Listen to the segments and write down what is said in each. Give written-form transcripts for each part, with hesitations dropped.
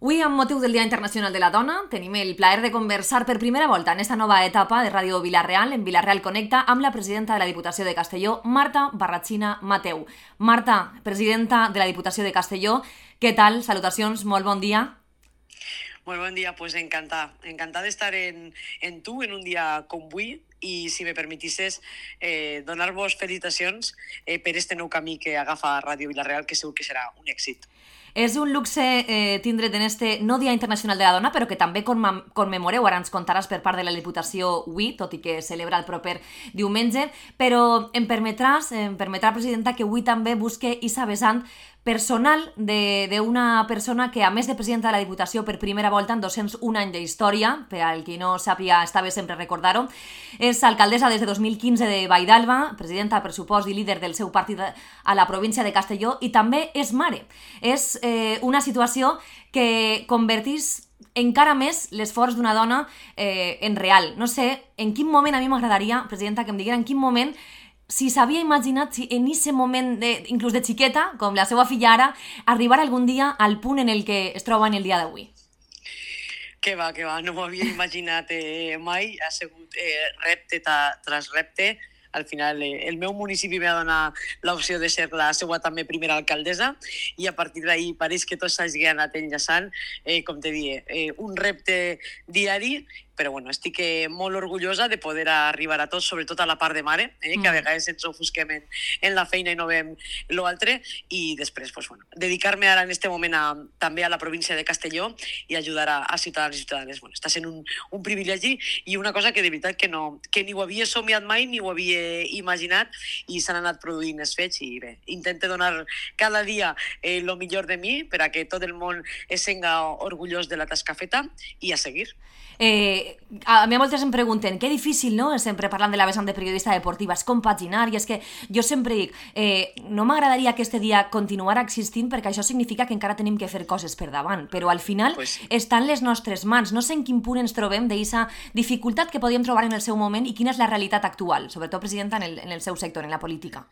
Avui, amb motiu del Dia Internacional de la Dona, tenim el plaer de conversar per primera volta en esta nova etapa de Ràdio Vila-real, en Vila-real Connecta, amb la presidenta de la Diputació de Castelló, Marta Barratxina Mateu. Marta, presidenta de la Diputació de Castelló, què tal? Salutacions, molt bon dia. Molt bon dia, pues encantada d'estar en tu en un dia com avui i, si me permetisses, donar-vos felicitacions per este nou camí que agafa Ràdio Vila-real, que segur que serà un èxit. És un luxe tindre't en este no Dia Internacional de la Dona, però que també commemoreu, ara ens contaràs per part de la Diputació avui, tot i que celebra el proper diumenge, però em permetrà, presidenta, que avui també busque Isa vessant personal d'una persona que, a més de presidenta de la Diputació per primera volta en 201 anys d'història, per al qui no sàpiga, està bé sempre recordar-ho, és alcaldessa des de 2015 de Valldalba, presidenta de pressupost i líder del seu partit a la província de Castelló, i també és mare. És una situació que convertís encara més l'esforç d'una dona en real. No sé, en quin moment, a mi m'agradaria, presidenta, que em diguera en quin moment, si s'havia imaginat, si en aquest moment, inclús de xiqueta, com la seva filla ara, arribar algun dia al punt en el que es troba en el dia d'avui. Que va, no m'ho havia imaginat mai, ha sigut repte tras repte. Al final, el meu municipi m'ha donat l'opció de ser la seva també primera alcaldessa i a partir d'ahir pareix que tot s'hagi anat enllaçant, com te dic, un repte diari, però bueno, estic molt orgullosa de poder arribar a tot, sobretot a la part de mare, que a vegades ens ofusquem en la feina i no veiem l'altre, i després, pues, bueno, dedicar-me ara en aquest moment també a la província de Castelló i ajudar a ciutadans i ciutadanes. Bueno, està sent un privilegi i una cosa que de veritat que ni ho havia somiat mai ni ho havia imaginat, i s'han anat produint els fets, i bé, intento donar cada dia el millor de mi per a que tot el món es senga orgullós de la tasca feta i a seguir. A mi moltes em pregunten que difícil, no?, sempre parlant de la vessant de periodista deportiva, és compaginar, i és que jo sempre dic, no m'agradaria que este dia continuara existint perquè això significa que encara tenim que fer coses per davant, però al final està en les nostres mans. No sé en quin punt ens trobem d'aquesta dificultat que podíem trobar en el seu moment i quina és la realitat actual, sobretot, presidenta, en el seu sector, en la política.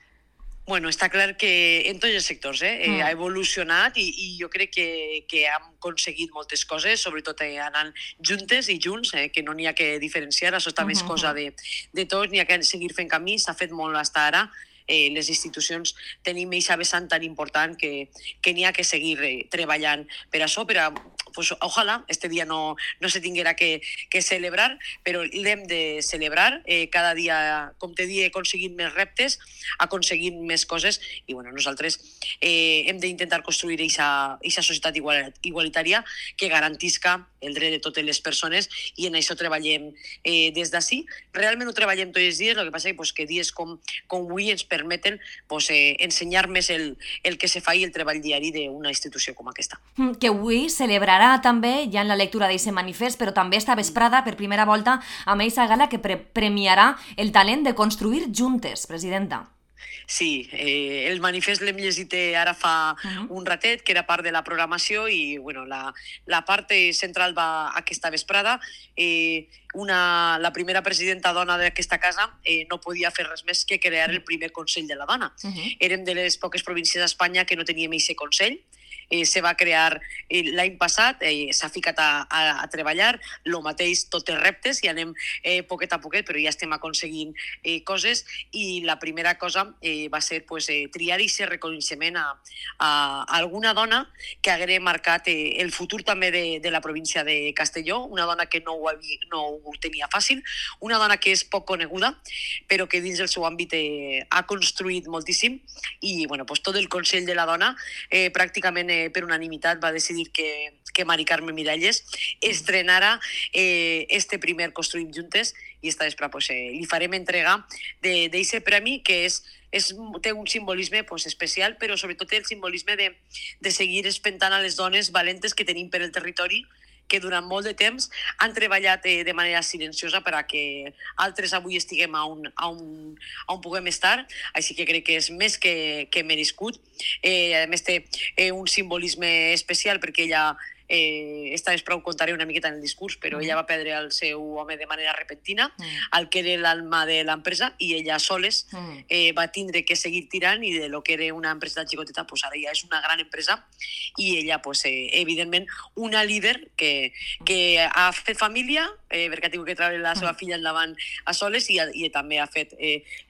Bueno, està clar que en tots els sectors ha evolucionat i jo crec que hem aconseguit moltes coses, sobretot anant juntes i junts, que no n'hi ha que diferenciar, això també és cosa de tots, n'hi ha que seguir fent camí, s'ha fet molt fins ara, les institucions tenim aquesta vessant tan important que n'hi ha que seguir treballant per això, pues, ojalà este dia no se tinguera que celebrar, però l'hem de celebrar, cada dia, com te dic, aconseguint més reptes, aconseguint més coses, i bueno, nosaltres hem d'intentar construir aquesta societat igualitària que garantisca el dret de totes les persones, i en això treballem des d'ací. Realment ho treballem tots els dies, el que passa és que dies com avui ens permeten ensenyar més el que se fa i el treball diari d'una institució com aquesta. Que avui celebrarà també, ja en la lectura d'aquest manifest, però també esta vesprada, per primera volta, amb aquesta gala que premiarà el talent de construir juntes, presidenta. Sí, el manifest l'hem llegit ara fa un ratet, que era part de la programació, i bueno, la part central va aquesta vesprada. La primera presidenta dona d'aquesta casa no podia fer res més que crear el primer Consell de la Dona. Érem de les poques províncies d'Espanya que no teníem aquest Consell. Se va crear l'any passat, s'ha ficat a treballar, el mateix, tots els reptes, i anem poquet a poquet, però ja estem aconseguint coses, i la primera cosa va ser triar aquest reconeixement a alguna dona que hagués marcat el futur també de la província de Castelló, una dona que no ho tenia fàcil, una dona que és poc coneguda, però que dins del seu àmbit ha construït moltíssim, i bueno, tot el Consell de la Dona pràcticament per unanimitat va decidir que Mari Carme Miralles estrenara este primer Construïm Juntes, i esta vespre li farem entrega d'aquest premi que té un simbolisme especial, però sobretot té el simbolisme de seguir espentant a les dones valentes que tenim per el territori, que durant molt de temps han treballat de manera silenciosa per a que altres avui estiguem on puguem estar, així que crec que és més que merescut. A més té un simbolisme especial perquè ella esta vez prou contaré una miqueta en el discurs, però ella va perdre el seu home de manera repentina, el que era l'alma de l'empresa, i ella soles va tindre que seguir tirant, i de lo que era una empresa xicoteta, pues ara ja és una gran empresa, i ella, pues, evidentment, una líder que ha fet família, perquè ha tingut que treure la seva filla endavant a soles, i també ha fet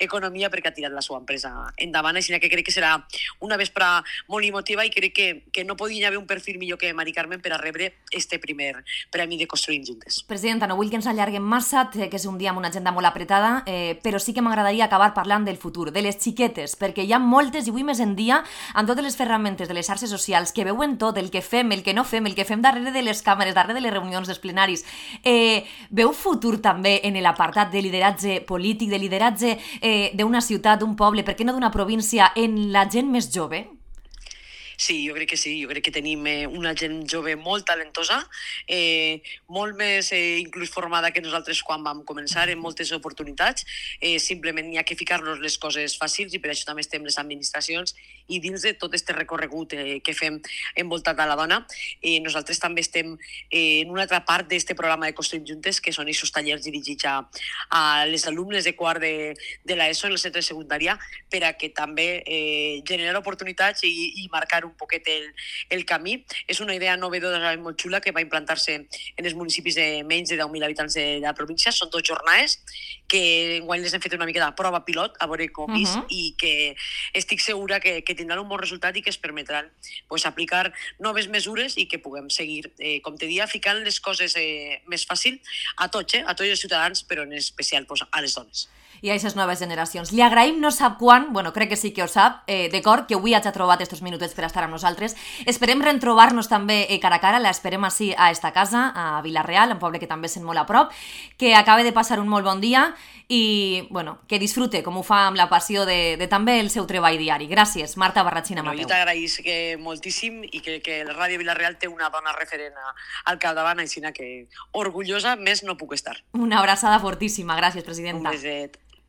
economia perquè ha tirat la seva empresa endavant, així que crec que serà una vespra molt emotiva, i crec que no podia haver un perfil millor que Mari Carmen per a rebre este primer premi de Construïm Juntes. Presidenta, no vull que ens allarguem massa, que és un dia amb una agenda molt apretada, però sí que m'agradaria acabar parlant del futur, de les xiquetes, perquè hi ha moltes, i avui més en dia, amb totes les ferramentes de les xarxes socials, que veuen tot, el que fem, el que no fem, el que fem darrere de les càmeres, darrere de les reunions dels plenaris. Veu futur també en l'apartat de lideratge polític, de lideratge d'una ciutat, d'un poble, per què no d'una província, en la gent més jove? Sí, jo crec que sí, jo crec que tenim una gent jove molt talentosa, molt més inclús formada que nosaltres quan vam començar, en moltes oportunitats, simplement hi ha que ficar-nos les coses fàcils, i per això també estem les administracions, i dins de tot este recorregut que fem envoltat a la dona, nosaltres també estem en una altra part d'este programa de Construïm Juntes, que són aquests tallers dirigits a les alumnes de quart de l'ESO en el centre de secundària, per a que també generar oportunitats i marcar un poquet el camí. És una idea novedosa i molt xula que va implantar-se en els municipis de menys de 10.000 habitants de la província. Són 2 jornades que enguany les hem fet una mica de prova pilot, a veure com és, i que estic segura que tindran un bon resultat i que es permetran aplicar noves mesures i que puguem seguir, com te dia, ficant les coses més fàcil a tots els ciutadans, però en especial a les dones. I a aquestes noves generacions. Li agraïm, no sap quan, bueno, crec que sí que ho sap, d'acord, que avui hagi trobat estos minutets per estar amb nosaltres. Esperem retrobar-nos també cara a cara, l'esperem així a esta casa, a Vila-real, un poble que també sent molt a prop, que acabe de passar un molt bon dia i, bueno, que disfrute, com ho fa amb la passió de també el seu treball diari. Gràcies, Marta Barratxina Mateu. Jo t'agraïsc moltíssim, i que la Ràdio Vila-real té una dona referent al capdavant, així que orgullosa més no puc estar. Una abraçada fortíssima, gràcies, presidenta. Un beset.